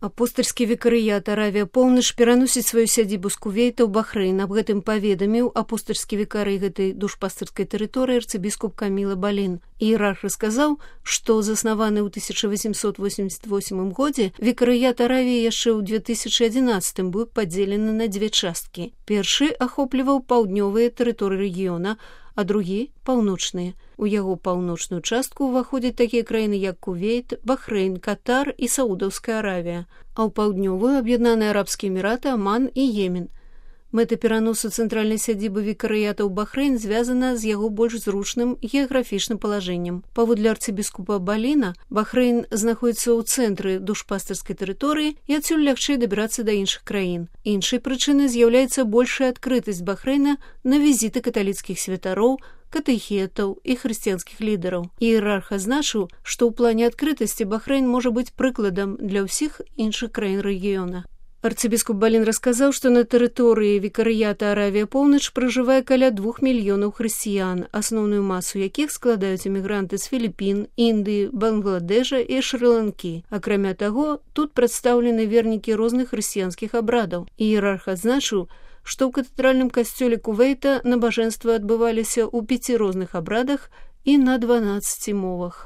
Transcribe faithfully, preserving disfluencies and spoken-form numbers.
Апостальскі вікарыят Аравія Поўнач пераносіць сваю сядзібу з Кувейта ў Бахрэйн. Аб гэтым паведаміў апостальскі вікарый гэтай душпастырскай тэрыторыі арцыбіскуп Каміла Балін. Іерарх расказаў, што заснаваны ў тысяча васемсот восемьдесят восьмым годзе вікарыят Аравіі яшчэ ў две тысячы адзінаццатым быў падзелены на дзве часткі. Першы ахопліваў паўднёвыя тэрыторыі рэгіёна, а другі – паўночныя. У яго паўночную частку ўваходзяць такія краіны, як Кувейт, Бахрэйн, Катар і Саудаўская Аравія, а ў паўднёвую – Аб'яднаныя Арабскія Эміраты, Аман і Йемен. Мэта пераносу цэнтральнай сядзібы вікарыята ў Бахрэйн звязана з яго больш зручным геаграфічным палажэннем. Паводле арцыбіскупа Баліна, Бахрэйн знаходзіцца ў цэнтры душпастырскай тэрыторыі і адсюль лягчэй дабірацца да іншых краін. Іншай прычынай з'яўляецца большая адкрытасць Бахрэйна на візіты каталіцкіх святароў, катэхетаў і хрысціянскіх лідараў. Іерарх азначыў, што ў плане адкрытасці Бахрэйн можа быць прыкладам для ўсіх іншых краін рэгіёна. Арцыбіскуп Балін расказаў, што на тэрыторыі вікарыята Аравія Поўнач пражывае каля двух мільёнаў хрысціян, асноўную масу якіх складаюць эмігранты з Філіпін, Індыі, Бангладэша і Шры-Ланкі. Акрамя таго, тут прадстаўлены вернікі розных хрысціянскіх абрадаў. Іерарх адзначыў, што ў катэдральным касцёле Кувейта набажэнствы адбываліся ў пяці розных абрадах і на дванаццаці мовах.